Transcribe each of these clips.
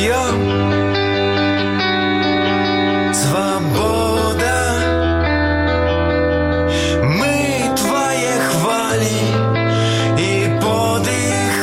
пьем. Свобода, мы твои хвали и подых.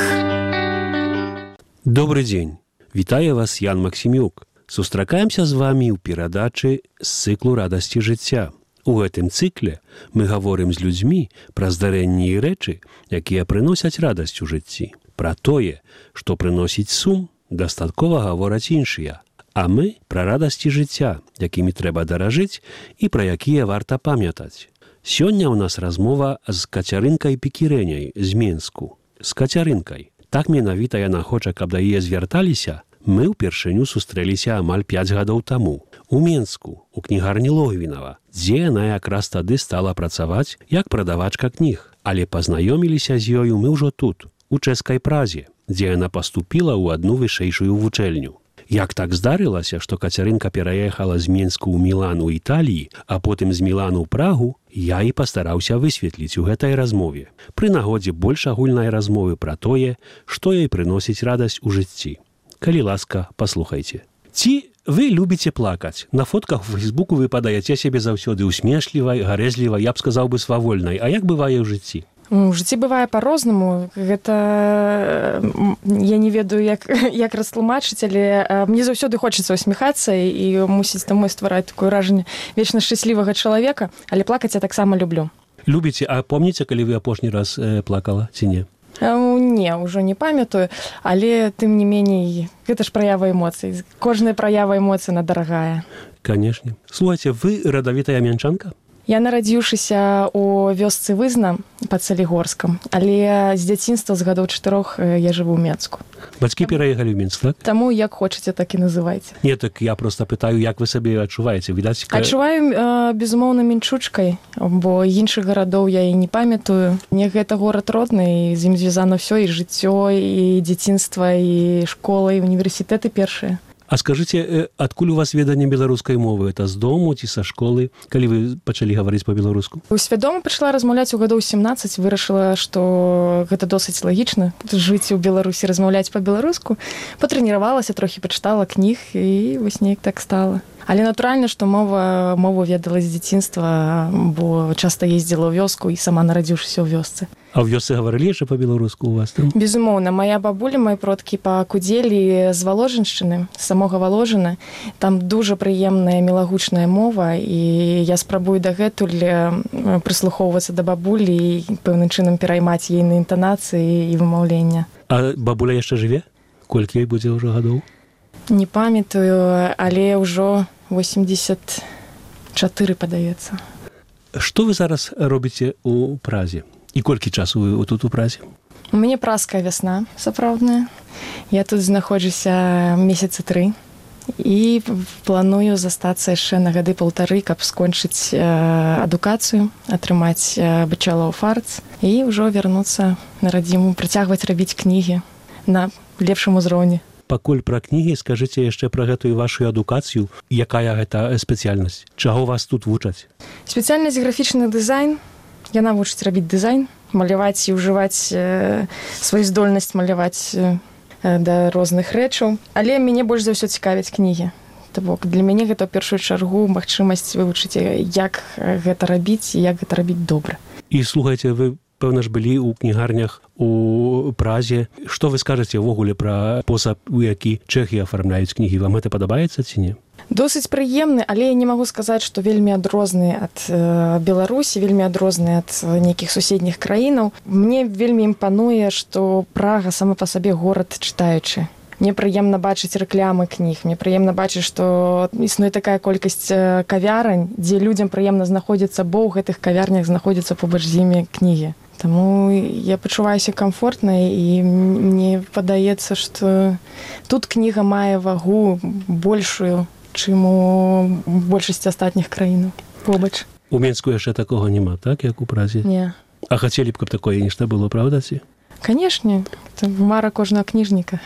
Добрый дзень. Вітае вас Ян Максімюк. Сустракаемся з вамі ў перадачы з цыклу радасці жыцця. У гэтым цыкле мы гаворым з людзьмі пра здарэнні і рэчы, якія прыносяць радасць у жыцці. Пра тое, што прыносіць сум, дастаткова гавораць іншыя. А мы пра радасці жыцця, якімі трэба даражыць і пра якія варта памятаць. Сёння ў нас размова з Кацярынкай Пекірэняй з Менску. З Кацярынкай. Так менавіта яна хоча, каб да яе звярталіся. Мы ўпершыню сустрэліся амаль 5 гадоў таму. У Менску, у кнігарні Логвінава, дзе яна якраз тады стала працаваць як прадавачка кніг. Але пазнаёміліся з ёю мы ўжо тут, у чэшскай Празе, дзе яна паступіла ў адну вышэйшую вучэльню. Як так здарылася, што Кацярынка пераехала з Менску ў Мілан у Італіі, а потым з Мілану ў Прагу, я і пастараўся высветліць у гэтай размове. Пры нагодзе больш агульнай размовы пра тое, што ёй прыносіць радасць у жыцці. Калі ласка, паслухайце. Ці вы любіце плакаць? На фотках у Фейсбуку вы падаеце сябе заўсёды усмешлівай, гарэзлівай, я б сказаў бы свавольнай. А як бывае ў жыцці? У жыцці бывае па-рознаму. Гэта я не ведаю, як растлумачыць, але мне заўсёды хочацца усміхацца і мусіць таму ствараць такое ўражанне вечна шчаслівага чалавека, але плакаць я таксама люблю. Любіце, а помніце, калі вы апошні раз плакала ці не? Не, ўжо не памятаю, але тым не меней, гэта ж праява эмоцый. Кожная праява эмоцый она дарагая. Канешне. Слухайце, вы радавітая мянчанка? Я нарадзіўшыся ў вёсцы Вызна пад Салігорскам, але з дзяцінства з гадоў 4 я жыву ў Менску. Бацькі пераехалі ў Мінск, так? Таму як хочаце, так і называйце. Не, так я проста пытаю, як вы сабе адчуваеце? Відаць, адчуваю, безумоўна, мінчучкай, бо іншых гарадоў я і не памятаю. Мне гэта горад родны, і з ім звязана ўсё, і жыццё, і дзяцінства, і школа, і універсітэты першыя. А скажыце, адкуль у вас веданне беларускай мовы? Это з дому ці са школы, калі вы пачалі гаварыць па-беларуску? Свядома пачала размаўляць у гадоў 17, вырашыла, што гэта досыць лагічна, жыць у Беларусі, размаўляць па-беларуску. Патрэніравалася, трохі пачытала кніг, і вось неяк так стала. Але натуральна, што мову ведала з дзяцінства, бо часта ездзіла ў вёску і сама нарадзіўшыся ў вёсцы. А ў вёсцы гаварылі яшчэ па-беларуску у вас там? Безумоўна, моя бабуля, мои продкі пакудзелі з Валожыншчыны, з самога Валожына. Там дужа прыемная мілагучная мова, і я спрабую дагэтуль прыслухоўвацца да бабулі і пэўным чынам пераймаць ейны інтанацыі і вымаўлення. А бабуля яшчэ жыве? Колькі ёй будзе ўжо гадоў? Не памятаю, але ўжо 84, падаецца. Што вы зараз робіце ў Празе? І колькі часу вы тут у Празе? У мяне празкая вясна, сапраўдная. Я тут знаходжуся месяцы 3 і планую застацца яшчэ на гады 1,5, каб скончыць адукацыю, атрымаць бачэлар оф артс і ўжо вярнуцца на радзіму, працягваць рабіць кнігі на лепшым узроўні. Пакуль пра кнігі, скажыце яшчэ пра гэтую вашу адукацыю. Якая гэта спецыяльнасць? Чаго вас тут вучаць? Спецыяльнасць графічны дызайн. Яна вучыць рабіць дызайн, маляваць і ўжываць сваю здольнасць маляваць да розных рэчаў. Але мяне больш за ўсё цікавяць кнігі. Бок для мяне гэта ў першую чаргу магчымасць вывучыць, як гэта рабіць і як гэта рабіць добра. І слухайце, вы, пэўна ж, былі ў кнігарнях у Празе. Што вы скажаце ўвогуле пра спосаб, у які чэхі афармляюць кнігі? Вам гэта падабаецца ці не? Досыць прыемны, але я не магу сказаць, што вельмі адрозны ад Беларусі, вельмі адрозны ад нейкіх суседніх краінаў. Мне вельмі імпануе, што Прага сама па сабе горад чытаючы. Мне прыемна бачыць рэклямы кніг, мне прыемна бачыць, што існуе такая колькасць кавярань, дзе людзям прыемна знаходзіцца, бо ў гэтых кавярнях знаходзяцца побач з імі кнігі. Таму я пачуваюся камфортна, і мне падаецца, што тут кніга мае вагу большую, чым у большасці астатніх краінаў побач. У Менску яшчэ такога няма, так, як у Празе? Не. А хацелі б, каб такое нешта было, правда ці? Канешне, это мара кожнага кніжніка.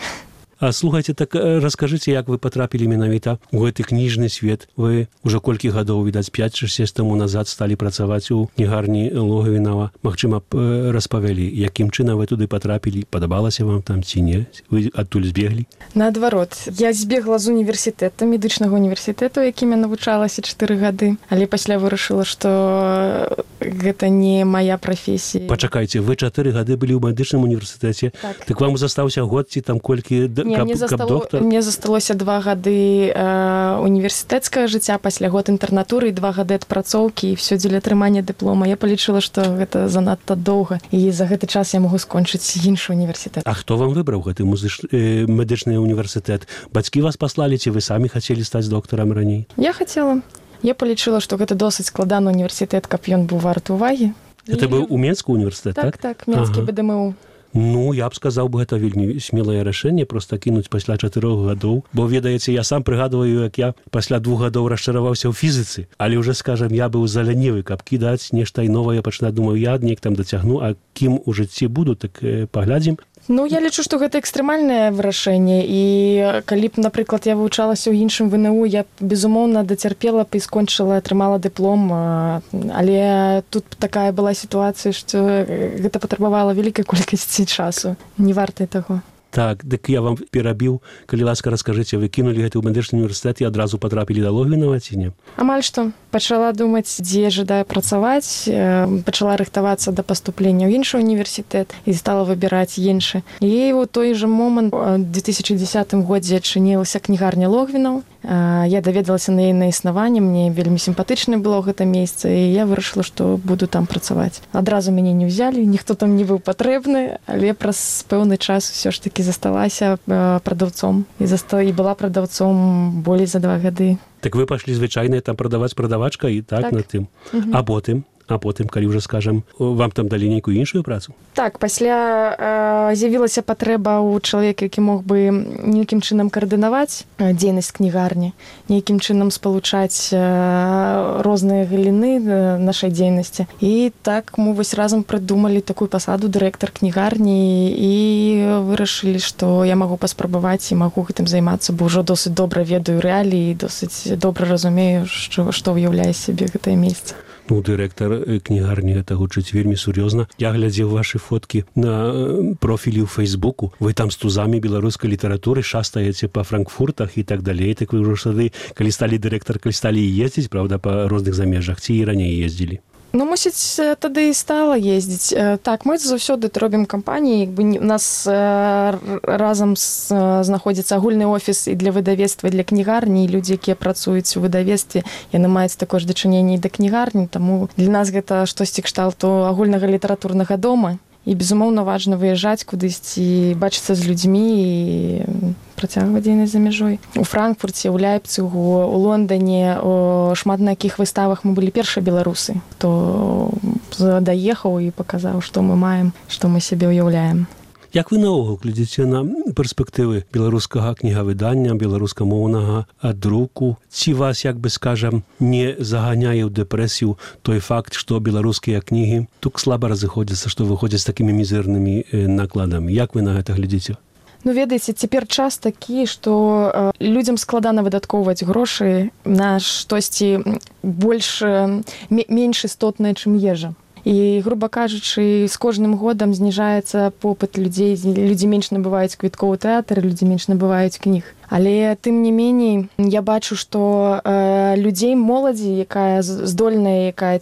А слухайте, так расскажыце, як вы патрапілі менавіта ў гэты кніжны свет. Вы ўжо колькі гадоў, відаць, 5-6 таму назад сталі працаваць у кнігарні Логвінава. Магчыма, распавялі, якім чынам вы туды патрапілі, падабалася вам там ці не? Вы адтуль збеглі? Наадварот, я збегла з універсітэта, медычнага універсітэту, якім я навучалася 4 гады, але пасля вырашыла, што гэта не мая прафесія. Пачакайце, вы 4 гады былі ў медычным універсітэце, так вам застаўся год ці там колькі, каб доктар? Мне засталося 2 гады універсітэцкага жыцця, пасля год інтэрнатуры і 2 гады адпрацоўкі, і все дзеля атрымання дыплома. Я палічыла, што гэта занадта доўга, і за гэты час я магу скончыць іншы універсітэт. А хто вам выбраў гэты медычны універсітэт? Бацькі вас паслалі, ці вы самі хацелі стаць доктарам раней? Я хацела. Я палічыла, што гэта досыць складаны універсітэт, каб ён быў варты ўвагі. Гэта быў у Менску універсітэт, так? Так, Менскі БДМУ. Ну, я б сказаў бы, гэта вельмі смелае рашэнне проста кінуць пасля 4 гадоў. Бо, ведаеце, я сам прыгадваю, як я пасля 2 гадоў расчараваўся ў фізіцы. Але ўжо, скажам, я быў залянівы, каб кідаць нешта і новае пачынаць. Думаю, я неяк там дацягну, а кім у жыцці буду, так паглядзім. Ну, я лічу, што гэта экстрэмальнае вырашэнне, і калі б, напрыклад, я вывучалася ў іншым ВНУ, я б, безумоўна, дацярпела б і скончыла, атрымала дыплом, але тут такая была сітуацыя, што гэта патрабавала вялікай колькасці часу. Не варта таго. Так, дык я вам перабіў, калі ласка, раскажыце, вы кінулі гэты ў медычны універсітэт і адразу патрапілі да Логвінава ці не? Амаль што. Пачала думаць, дзе жадаю працаваць, пачала рыхтавацца да паступлення ў іншы універсітэт і стала выбіраць іншы. І ў той жа момант, у 2010 годзе адчынілася кнігарня Логвінаў. Я даведалася на яе існаванне, мне вельмі сімпатычнае было гэта месца, і я вырашыла, што буду там працаваць. Адразу мяне не ўзялі, ніхто там не быў патрэбны, але праз пэўны час усё ж такі засталася прадаўцом і была прадаўцом болей за 2 гады. Так вы пашлі звычайна там прадаваць прадавачка і так на тым. А потым, калі ўжо, скажам, вам там далі нейкую іншую працу? Так, пасля з'явілася патрэба ў чалавека, які мог бы нейкім чынам каардынаваць дзейнасць кнігарні, нейкім чынам спалучаць розныя галіны нашай дзейнасці. І так мы вось разам прыдумалі такую пасаду дырэктар кнігарні і вырашылі, што я магу паспрабаваць і магу гэтым займацца, бо ўжо досыць добра ведаю рэаліі, досыць добра разумею, што ўяўляе сябе гэтае месца. Ну, дырэктар кнігарні гэта гучыць вельмі сур'ёзна. Я глядзеў вашы фоткі на профілі ў Фейсбуку. Вы там з тузамі беларускай літаратуры шастаеце па Франкфуртах і так далей. Так вы ўжо сады, калі сталі дырэктар, калі сталі ездзіць, правда, па розных замежах, ці і раней ездзілі? Ну, мусіць, тады і стала ездзіць. Так, мы заўсёды робім кампаніі. У нас разам знаходзіцца агульны офіс і для выдавецтва, і для кнігарні, і людзі, якія працуюць у выдавецтве, яны маюць такое ж дачыненне і да кнігарні, таму для нас гэта штосьці кшталту агульнага літаратурнага дома. І, безумоўна, важна выязджаць кудысьці, бачыцца з людзьмі і працягваць дзейнасць за мяжой. У Франкфурце, у Ляйпцыгу, у Лондане, у шмат на якіх выставах мы былі першыя беларусы, хто даехаў і паказаў, што мы маем, што мы сябе ўяўляем. Як вы наогул глядзіце на перспектывы беларускага кнігавыдання, беларускамоўнага друку? Ці вас, як бы скажам, не заганяе ў дэпрэсію той факт, што беларускія кнігі тут слаба разыходзяцца, што выходзяць з такімі мізэрнымі накладамі? Як вы на гэта глядзіце? Ну, ведаеце, цяпер час такі, што людзям складана выдаткоўваць грошы на штосьці менш істотнае, чым ежа. І, груба кажучы, з кожным годам зніжаецца попыт людзей, людзі менш набываюць квіткоў у тэатр, людзі менш набываюць кніг. Але тым не меней я бачу, што людзей, моладзі, якая здольная, якая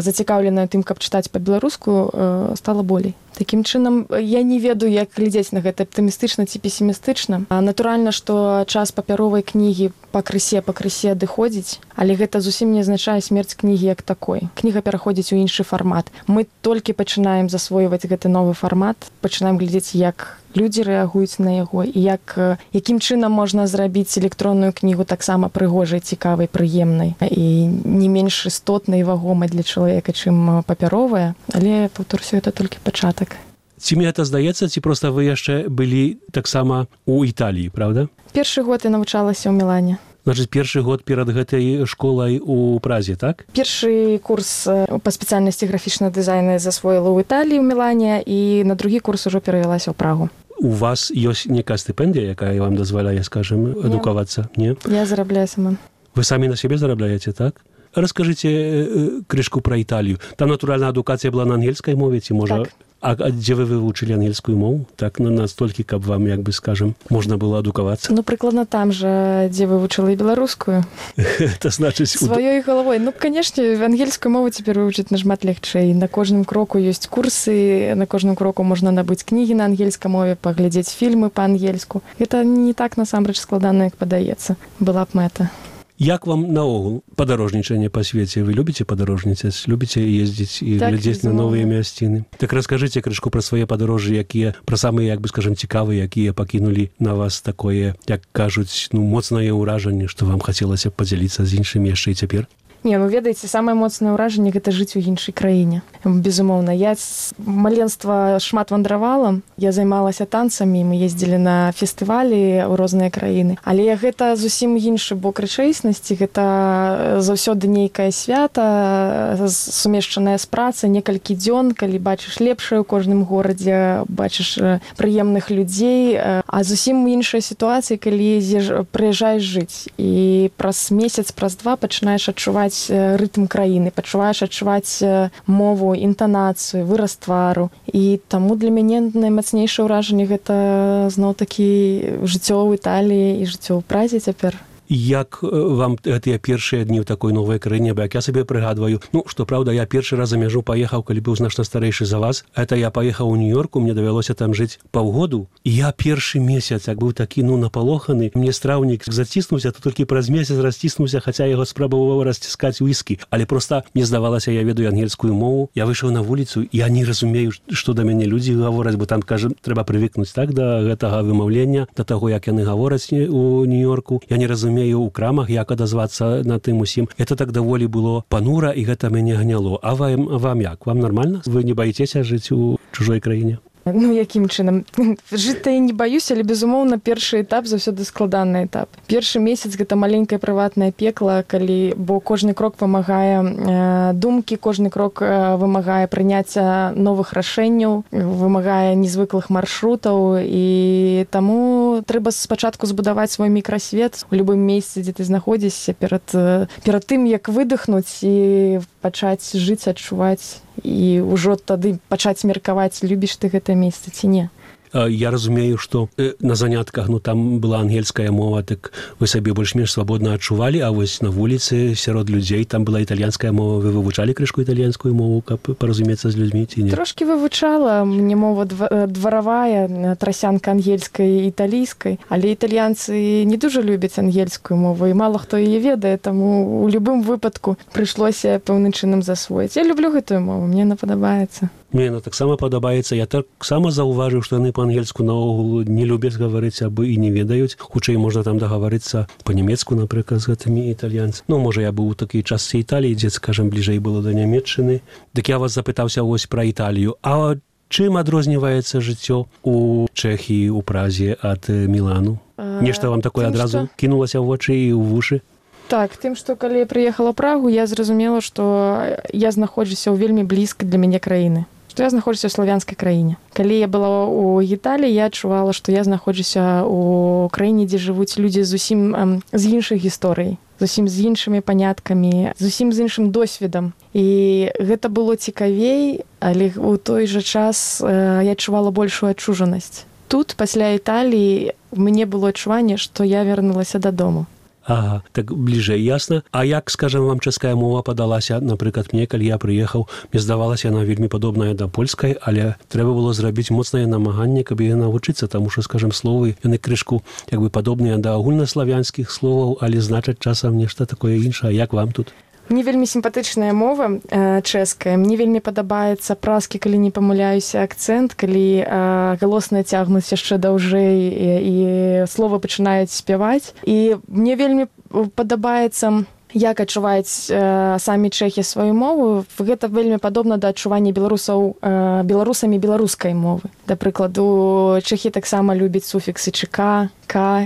зацікаўленая тым, каб чытаць па-беларуску, стала болей. Такім чынам, я не ведаю, як глядзець на гэта аптымістычна ці песімістычна. Натуральна, што час папяровай кнігі пакрысе адыходзіць, але гэта зусім не азначае смерць кнігі як такой. Кніга пераходзіць у іншы фармат. Мы толькі пачынаем засвойваць гэты новы фармат, пачынаем глядзець, як людзі рэагуюць на яго і якім чынам можна зрабіць электронную кнігу таксама прыгожай, цікавай, прыемнай і не менш істотнай і вагомай для чалавека, чым папяровая, але, паўторюся, гэта толькі пачатак. Ці мне гэта здаецца, ці проста вы яшчэ былі таксама ў Італіі, правда? Першы год я навучалася ў Мілане. Значыць, першы год перад гэтай школай у Празе, так? Першы курс па спецыяльнасці графічнага дызайна засвоіла ў Італіі, ў Мілане, і на другі курс ужо перавялася ў Прагу. у вас ёсць некая стыпендыя, якая вам дазваляе, скажем, адукавацца? Не? Я зарабляю сама. Вы самі на сябе зарабляеце, так? Раскажыце крышку пра Італію. Там, натуральна, адукацыя была на ангельскай мове, ці можа... Так. А дзе вы вывучылі ангельскую мову? Так, настолькі, каб вам, як бы, скажем, можна было адукавацца? Ну, прыкладна там жа, дзе вывучыла і беларускую. Это значыць... Сваёй галавой. Ну, канешне, ангельскую мову цяпер вывучыць нашмат лягчэй. На кожным кроку ёсць курсы, на кожным кроку можна набыць кнігі на ангельскай мове, паглядзець фільмы па-ангельску. Гэта не так, насамрэч, складана, як падаецца. Была б мэта. Як вам наогул падарожнічанне па свеце? Вы любіце падарожніцаць? Любіце ездзіць і глядзець на новыя мясціны? Так раскажыце крышку пра свае падарожжы, якія, пра самыя, як бы, скажем, цікавыя, якія пакінулі на вас такое, як кажуць, ну, моцнае ўражанне, што вам хацелася б падзяліцца з іншымі яшчэ і цяпер? Не, ну, ведаеце, самае моцнае ўражанне – гэта жыць у іншай краіне. Безумоўна. Я з маленства шмат вандравала, я займалася танцамі, мы ездзілі на фестывалі ў розныя краіны. Але гэта зусім іншы бок рэчаіснасці, гэта заўсёды нейкае свята, сумешчаная з працай, некалькі дзён, калі бачыш лепшае ў кожным горадзе, бачыш прыемных людзей, а зусім іншая сітуацыя, калі прыязджаеш жыць. І праз месяц, праз два пачынаеш адчуваць рытм краіны, пачуваеш адчуваць мову, інтанацыю, выраз твару. І таму для мяне наймацнейшае ўражанне гэта зноў-такі жыццё ў Італіі і жыццё ў Празе цяпер. Як вам гэтыя першыя дні ў такой новай краіне, бо як я сабе прыгадваю, ну, што праўда, я першы раз за мяжу паехаў, калі быў значна старэйшы за вас. Это я паехаў у Нью-Йорку, мне давялося там жыць паўгоду. І я першы месяц, як быў такі, ну, напалоханы, мне страўнік заціснуўся, то толькі праз месяц расціснуўся, хаця яго спрабаваў расціскаць уіскі. Але проста мне здавалася, я ведаю ангельскую мову. Я выйшаў на вуліцу, я не разумею, што да мяне людзі гавораць, бо там, кажа, трэба прывыкнуць, так, да гэтага вымаўлення, да таго, як яны гавораць у Нью-Йорку. Я не разумею у крамах, як адазвацца на тым усім. Это так даволі было панура, і гэта мяне гняло. А вам як? Вам нармальна? Вы не баіцеся жыць у чужой краіне? Ну, якім чынам? Жыць-то я не баюсь, але, безумоўна, першы этап заўсёды складаны этап. Першы месяц гэта маленькае прыватнае пекла, бо кожны крок вымагае думкі, кожны крок вымагае прыняцця новых рашэнняў, вымагае незвыклых маршрутаў, і таму трэба спачатку збудаваць свой мікрасвет у любым месцы, дзе ты знаходзішся, перад тым, як выдыхнуць і пачаць жыць, адчуваць, і ўжо тады пачаць меркаваць, любіш ты гэтае месца ці не. Я разумею, што на занятках, ну, там была ангельская мова, так вы сабе больш-менш свабодна адчувалі, а вось на вуліцы сярод людзей там была італьянская мова. Вы вывучалі крышку італьянскую мову, каб паразумецца з людзьмі ці не? Трошкі вывучала. Мне мова дваравая, трасянка ангельскай і італійскай, але італьянцы не дужа любяць ангельскую мову, і мала хто яе ведае, таму у любым выпадку прыйшлося пэўным чынам засвоіць. Я люблю гэтую мову, мне она падабаецца. Мне яна таксама падабаецца. Я таксама заўважыў, што яны па-ангельску наогул не любяць гаварыць або і не ведаюць. Хутчэй можна там дагаварыцца па-нямецку, напрыклад, з гэтымі італьянцамі. Ну, можа, я быў у такій частцы Італіі, дзе, скажам, бліжэй было да Нямецчыны. Дык я вас запытаўся вось пра Італію. А чым адрозніваецца жыццё у Чэхіі, у Празе ад Мілану? Нешта вам такое адразу кінулася ў вочы і ў вушы? Так, тым, што калі я прыехала ў Прагу, я зразумела, што я знаходжуся ў вельмі блізкай для мяне краіны. Што я знаходжуся ў славянскай краіне. Калі я была ў Італіі, я адчувала, што я знаходжуся ў краіне, дзе жывуць людзі зусім з іншых гісторый, зусім з іншымі паняткамі, зусім з іншым досведам. І гэта было цікавей, але ў той жа час я адчувала большую адчужанасць. Тут, пасля Італіі, мне было адчуванне, што я вярнулася дадому. Ага, так бліжэй, ясна. А як, скажам, вам чэшская мова падалася, напрыклад, мне, калі я прыехаў, мне здавалася, яна вельмі падобная да польскай, але трэба было зрабіць моцнае намаганне, каб яе навучыцца, таму што, скажам, словы, яны крышку, як бы, падобныя да агульнаславянскіх словаў, але значаць часам нешта такое іншае. Як вам тут? Мне вельмі сімпатычная мова чэшская. Мне вельмі падабаецца празкі, калі не памыляюся, акцэнт, калі галосныя цягнуць яшчэ даўжэй і словы пачынаюць спяваць. І мне вельмі падабаецца, як адчуваюць самі чэхі сваю мову. Гэта вельмі падобна да адчування беларусамі беларускай мовы. Да прыкладу, чэхі таксама любяць суфіксы ЧК, К,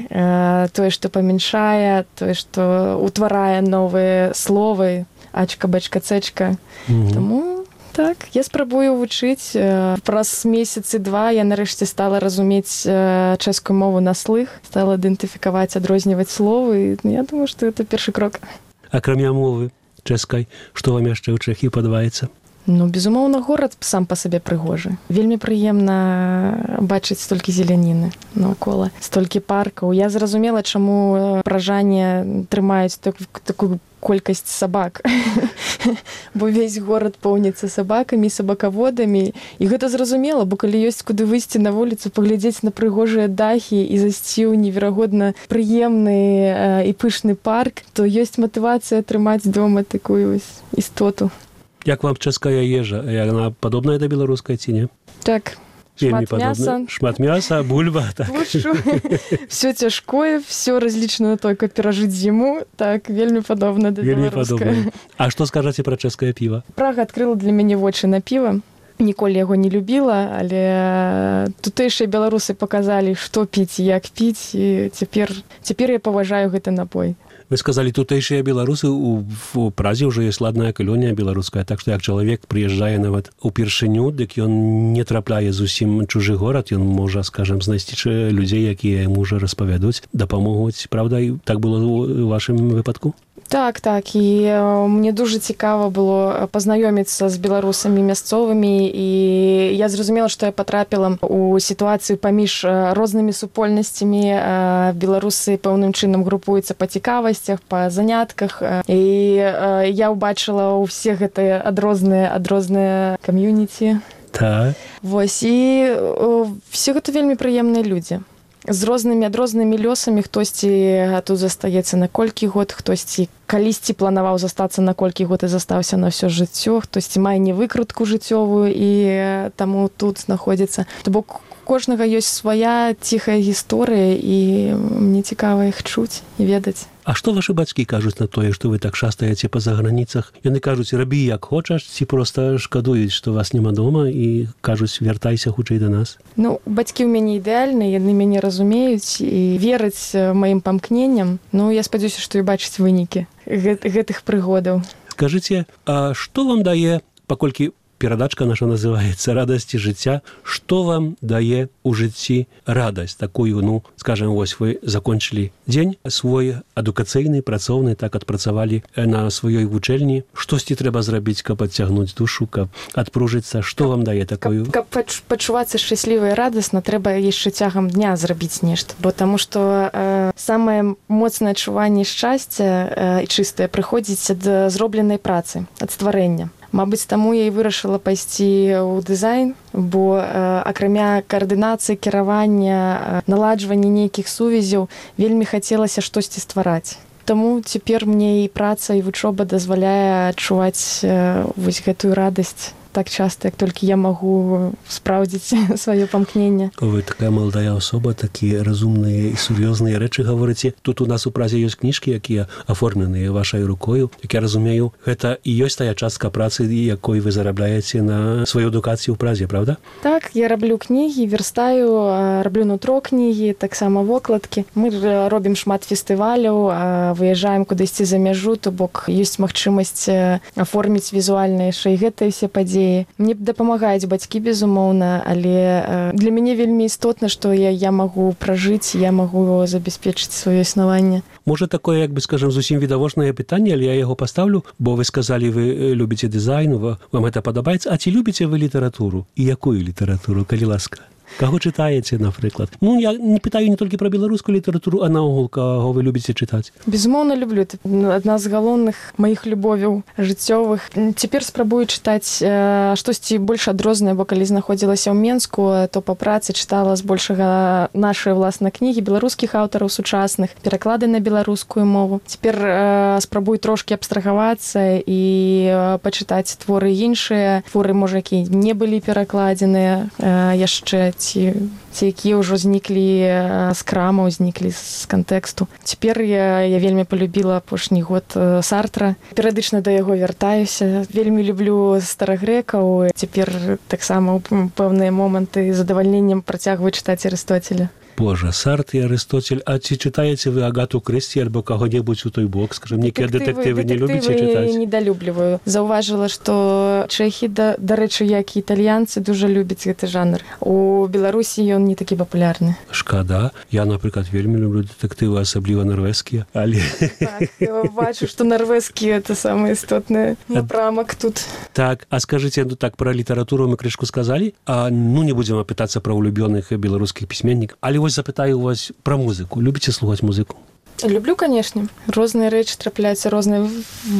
тое, што памяншае, тое, што ўтварае новыя словы, ачка, бачка, цэчка. Таму Так, я спрабую вучыць. Праз месяцы два я нарэшце стала разумець чэшскую мову на слых, стала ідэнтыфікаваць, адрозніваць словы. Я думаю, што это першы крок. Акрамя мовы чэшскай, што вам яшчэ ў Чэхіі падабаецца? Ну, безумоўна, горад сам па сабе прыгожы. Вельмі прыемна бачыць столькі зеляніны наўкола, столькі паркаў. Я зразумела, чаму пражане трымаюць такую колькасць сабак. Бо увесь горад поўніцца сабакамі, сабакаводамі. І гэта зразумела, бо калі ёсць куды выйсці на вуліцу, паглядзець на прыгожыя дахі і зайсці ў неверагодна прыемны і пышны парк, то ёсць матывацыя трымаць дома такую істоту. Як вам чэшская ежа? Яна падобная да беларускай ці не? Так. Шмат мяса. Шмат мяса, бульба. Так. Все цяжкое, все разлічана на то, как перажыць зіму. Так, вельмі падобна да беларускай. А што скажаце пра чэшскае піва? Прага адкрыла для мяне вочы на піва. Ніколі яго не любіла, але тутэйшыя беларусы паказалі, што піць і як піць, і цяпер я паважаю гэты напой. Вы сказали, тутэйшыя беларусы, у Празе ўжо ёсць ладная калонія беларуская, так што як чалавек прыязджае нават упершыню, дык ён не трапляе зусім чужы горад, ён можа, скажам, знайсці людзей, якія яму ўжо распавядуць, дапамогуць, правда, і так было ў вашым выпадку? Так, і мне дуже цікава было пазнаёміцца з беларусамі мясцовымі, і я зразумела, што я патрапіла ў сітуацыю паміж рознымі супольнасцямі. Беларусы пэўным чынам групуюцца па цікавасцях, па занятках, і я ўбачыла ўсе гэтыя адрозныя кам'юніці. Так. Вось, і все гэта вельмі прыемныя людзі. З рознымі лёсамі, хтосьці тут застаецца на колькі год, хтосьці калісьці планаваў застацца на колькі год і застаўся на ўсё жыццё, хтосьці мае невыкрутку жыццёвую і таму тут знаходзіцца. То бок кожнага ёсць свая ціхая гісторыя, і мне цікава іх чуць і ведаць. А што вашы бацькі кажуць на тое, што вы так шастаеце па заграніцах? Яны кажуць, рабі як хочаш, ці проста шкадуюць, што вас няма дома, і кажуць, вяртайся хутчэй да нас? Ну, бацькі ў мяне ідэальныя, яны мяне разумеюць і вераць маім памкненням. Ну, я спадзяюся, што і бачыць вынікі гэтых прыгодаў. Скажыце, а што вам дае, паколькі перадачка наша называецца «Радасці жыцця», што вам дае ў жыцці радасць такую, ну, скажем, вось вы закончылі дзень свой адукацыйны, працоўны, так адпрацавалі на сваёй вучэльні, штосьці трэба зрабіць, каб адцягнуць душу, каб адпружыцца, што вам дае такую? Каб пачувацца шчасліва і радасна, трэба яшчэ цягам дня зрабіць нешта, бо таму што самае моцнае адчуванне шчасця і чыстае прыходзіць ад зробленай працы, ад стварэння. Мабыць, таму я і вырашыла пайсці ў дызайн, бо акрамя каардынацыі, кіравання, наладжвання нейкіх сувязяў, вельмі хацелася штосьці ствараць. Таму цяпер мне і праца, і вучоба дазваляе адчуваць вось гэтую радасць так часта, як толькі я магу спраўдзіць сваё памкненне. Вы такая маладая асоба, такія разумныя і сур'ёзныя рэчы гаворыце. Тут у нас у Празе ёсць кніжкі, якія аформленыя вашай рукою. Як я разумею, гэта і ёсць тая частка працы, якой вы зарабляеце на сваю адукацыю ў Празе, правда? Так, я раблю кнігі, верстаю, раблю нутро кнігі, таксама вокладкі. Мы робім шмат фестываляў, выязджаем кудысьці за мяжу, то бок ёсць магчымасць аформіць візуальна яшчэ і гэтыя ўсе падзеі. Мне дапамагаюць бацькі, безумоўна, але для мяне вельмі істотна, што я магу пражыць, я магу забяспечыць сваё існаванне. Можа, такое, як бы, скажам, зусім відавочнае пытанне, але я яго пастаўлю, бо вы сказалі, вы любіце дызайн, вам гэта падабаецца. А ці любіце вы літаратуру? І якую літаратуру, калі ласка? Каго чытаеце, напрыклад? Ну, я не пытаю не толькі пра беларускую літаратуру, а наогул, каго вы любіце чытаць? Безумоўна, люблю. Это адна з галоўных маіх любовяў жыццёвых. Цяпер спрабую чытаць штосьці больш адрознае, бо калі знаходзілася ў Менску, то па працы чытала збольшага нашыя ўласна кнігі беларускіх аўтараў сучасных, пераклады на беларускую мову. Цяпер спрабую трошкі абстрагавацца і пачытаць творы іншыя, творы, можа, якія не былі перакладзеныя яшчэ, ці якія ўжо зніклі з крамаў, зніклі з кантэксту. Цяпер я вельмі полюбіла апошні год Сартра. Перыядычна да яго вяртаюся. Вельмі люблю старагрэкаў. Цяпер таксама ў пэўныя моманты з задавальненнем працягваю чытаць Арыстоцеля. Божа, Сартр і Арыстоцель. А ці чытаеце вы Агату Крысці альбо каго-небудзь у той бок? Скажем, некія дэтэктывы не любіце чытаць? Дэтэктывы недалюбліваю. Заўважыла, што чэхі, дарэчы, як і італьянцы, дужа любяць гэты жанр. У Беларусі ён не такі папулярны. Шкада. Я, напрыклад, вельмі люблю дэтэктывы, асабліва нарвежскія. Але... Так, бачу, што нарвежскія — это самы істотны напрамак тут. Так, а скажыце, ну так, пра літаратуру мы крышку сказалі, а ну не будзем апытацца пра улюбёных беларускіх пісьменнікаў. Але вось запытаю вас пра музыку. Любіце слухаць музыку? Люблю, канешне. Розныя рэчы трапляюцца, розныя.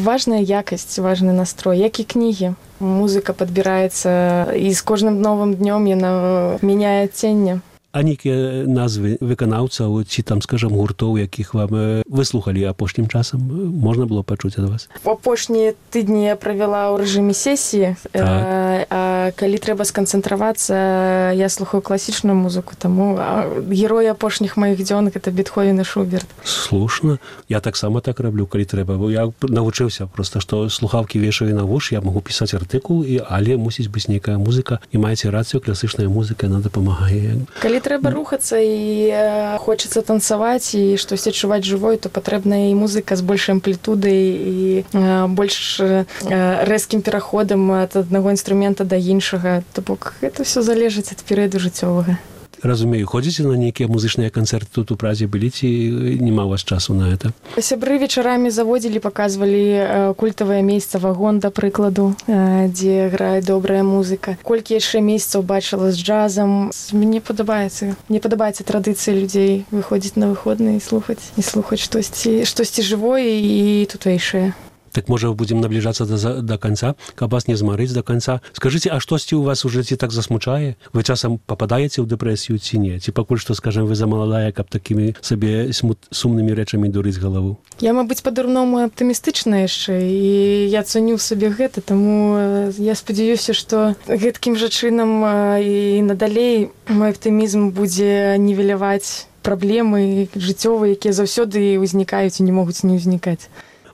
Важная якасць, важны настрой, як і кнігі. Музыка падбіраецца, і з кожным новым днём яна мяняе адценне. А нейкія назвы выканаўцаў ці там, скажам, гуртоў, якіх вам выслухалі апошнім часам, можна было пачуць ад вас? Апошнія тыдні я правяла ў рэжыме сесіі, так. А калі трэба сканцэнтравацца, я слухаю класічную музыку, таму героі апошніх маіх дзён — гэта Бетховен і Шуберт. Слушна. Я таксама так раблю, калі трэба. Бо я навучыўся проста, што слухаўкі вешаю на вуш, я магу пісаць артыкул, але мусіць быць нейкая музыка. І маеце рацыю, класічная музыка, яна дапамагае. Калі трэба рухацца і хочацца танцаваць і штосьці адчуваць жывой, то патрэбна і музыка з большай амплітудай і больш рэзкім пераходам ад аднаго інструмента да іншага. То бок гэта ўсё залежыць ад перыяду жыццёвага. Разумею, ходзіце на нейкія музычныя канцэрты тут у Празе, былі ці няма у вас часу на гэта? Сябры вечарамі заводзілі, паказвалі культавае месца «Вагон», да прыкладу, дзе грае добрая музыка. Колькі яшчэ месяцаў бачыла з джазам. Мне падабаецца традыцыі людзей выходзіць на выходныя і слухаць штосьці жывое і тутэйшае. Так, можа, будзем набліжацца да канца, каб вас не змарыць да канца. Скажыце, а штосьці ў вас уже ці так засмучае? Вы часам пападаеце ў дэпрэсію ці не? Ці пакуль што, скажем, вы замаладая, каб такімі сабе сумнымі рэчамі дурыць галаву? Я, мабыць, па-дурному аптымістычная яшчэ, і я цаню ў сабе гэта, таму я спадзяюся, што гэткім жа чынам і надалей мой аптымізм будзе нівеляваць праблемы жыццёвыя, якія заўсёды ўзнікаюць і не могуць не ўзнікаць.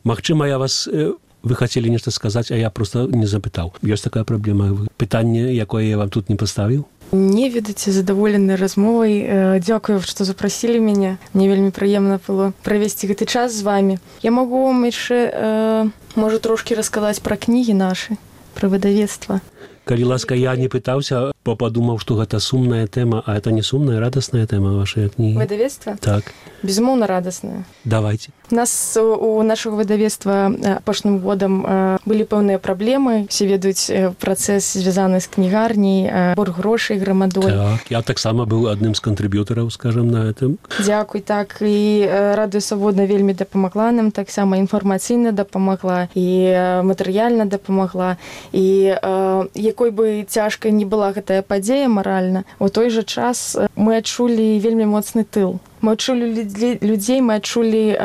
Магчыма, вы хацелі нешта сказаць, а я проста не запытаў. Ёсць такая праблема? Пытанне, якое я вам тут не паставіў? Не, ведаце, задаволены размовай. Дзякую, што запрасілі мяне. Мне вельмі прыемна было правесці гэты час з вамі. Я магу вам яшчэ, можа, трошкі расказаць пра кнігі нашы, пра выдавецтва. Калі ласка, я не пытаўся, падумаў, што гэта сумная тэма, а это не сумная, радасная тэма вашай кнігі. Выдавецтва? Так. Безумоўна, радасная. Давайте. У нашага выдавецтва апошнім годам былі пэўныя праблемы. Все ведаюць працэс, звязаны з кнігарняй, борг грошай грамадой. Так, я таксама быў адным з кантрыб'ютараў, скажам, на гэтым. Дзякуй, так. І Радыё Свабодна вельмі дапамагла нам, таксама інфармацыйна дапамагла, і матэрыяльна дапамагла. І якой бы цяжкай не была гэтая падзея маральна, у той жа час мы адчулі вельмі моцны тыл. Мы адчулі людзей, мы адчулі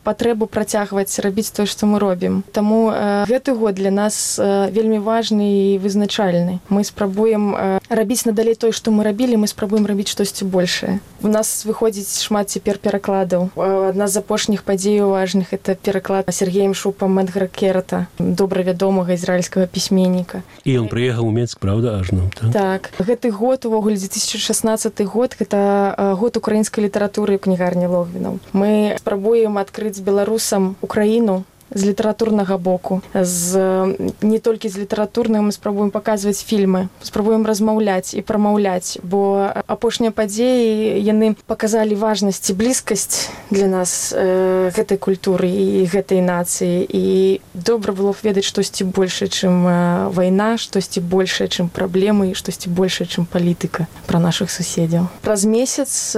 патрэбу працягваць рабіць тое, што мы робім. Таму гэты год для нас вельмі важны і вызначальны. Мы спрабуем рабіць надалей тое, што мы рабілі, мы спрабуем рабіць штосьці большае. У нас выходзіць шмат цяпер перакладаў. Адна з апошніх падзеяў важных — это пераклад Сергеем Шупам Эдгара Керата, добра вядомага ізраільскага пісьменніка. І ён прыехаў у Менск, правда, ажно? Так. Гэты год, увогуле, 2016 год, гэта год украінскай літаратуры ў кнігарні Логвінаў. Мы спрабуем адкрыць беларусам Украіну з літаратурнага боку. Не толькі з літаратурнага, мы спрабуем паказваць фільмы, спрабуем размаўляць і прамаўляць, бо апошнія падзеі, яны паказалі важнасць і блізкасць для нас гэтай культуры і гэтай нацыі. І добра было б ведаць штосьці большае, чым вайна, штосьці большае, чым праблемы, і штосьці большае, чым палітыка пра нашых суседзяў. Праз месяц,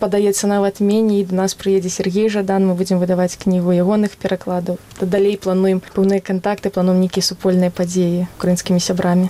падаецца, нават меней, да нас прыедзе Сергей Жадан, мы будзем выдаваць кнігу ягоных перакладаў. Далей плануем пэўныя кантакты, плануем нейкія супольныя падзеі украінскімі сябрамі.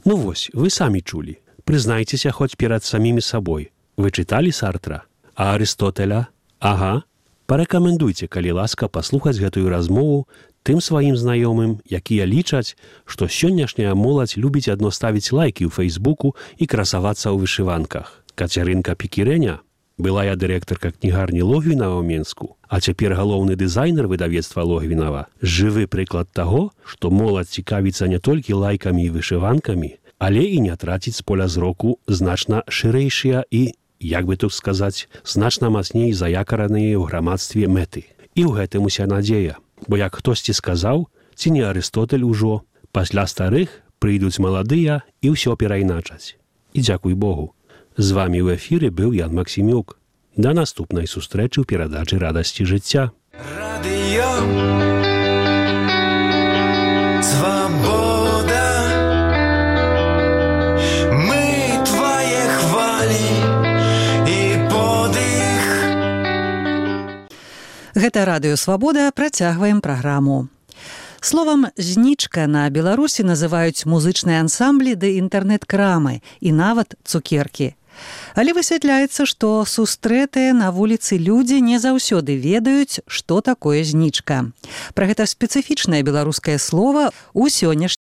Ну вось, вы самі чулі. Прызнайцеся хоць перад самімі сабой. Вы чыталі Сартра? А Арыстотеля? Ага. Парэкамендуйце, калі ласка, паслухаць гэтую размову тым сваім знаёмым, якія лічаць, што сённяшняя моладзь любіць адно ставіць лайкі ў Фейсбуку і красавацца ў вышыванках. Кацярынка Пікірэня, былая дырэктарка кнігарні Логвінава ў Менску, а цяпер галоўны дызайнер выдавецтва Логвінава, жывы прыклад таго, што моладзь цікавіцца не толькі лайкамі і вышыванкамі, але і не траціць з поля зроку значна шырэйшыя і як бы тут сказаць, значна мацней заякараныя ў грамадстве мэты. І ў гэтым уся надзея. Бо як хтосьці сказаў, ці не Арыстотель ужо, пасля старых прыйдуць маладыя і ўсё перайначаць. І дзякуй Богу. З вамі ў эфіры быў Ян Максімюк. Да наступнай сустрэчы ў перадачы «Радасці жыцця». Радыё Свабода. Мы твае хвалі і подых. Гэта радыё «Свабода», працягваем праграму. Словам «знічка» на Беларусі называюць музычныя ансамблі ды інтэрнэт-крамы і нават цукеркі. Але высвятляецца, што сустрэтыя на вуліцы людзі не заўсёды ведаюць, што такое знічка. Пра гэта спецыфічнае беларускае слова ў сённяшнім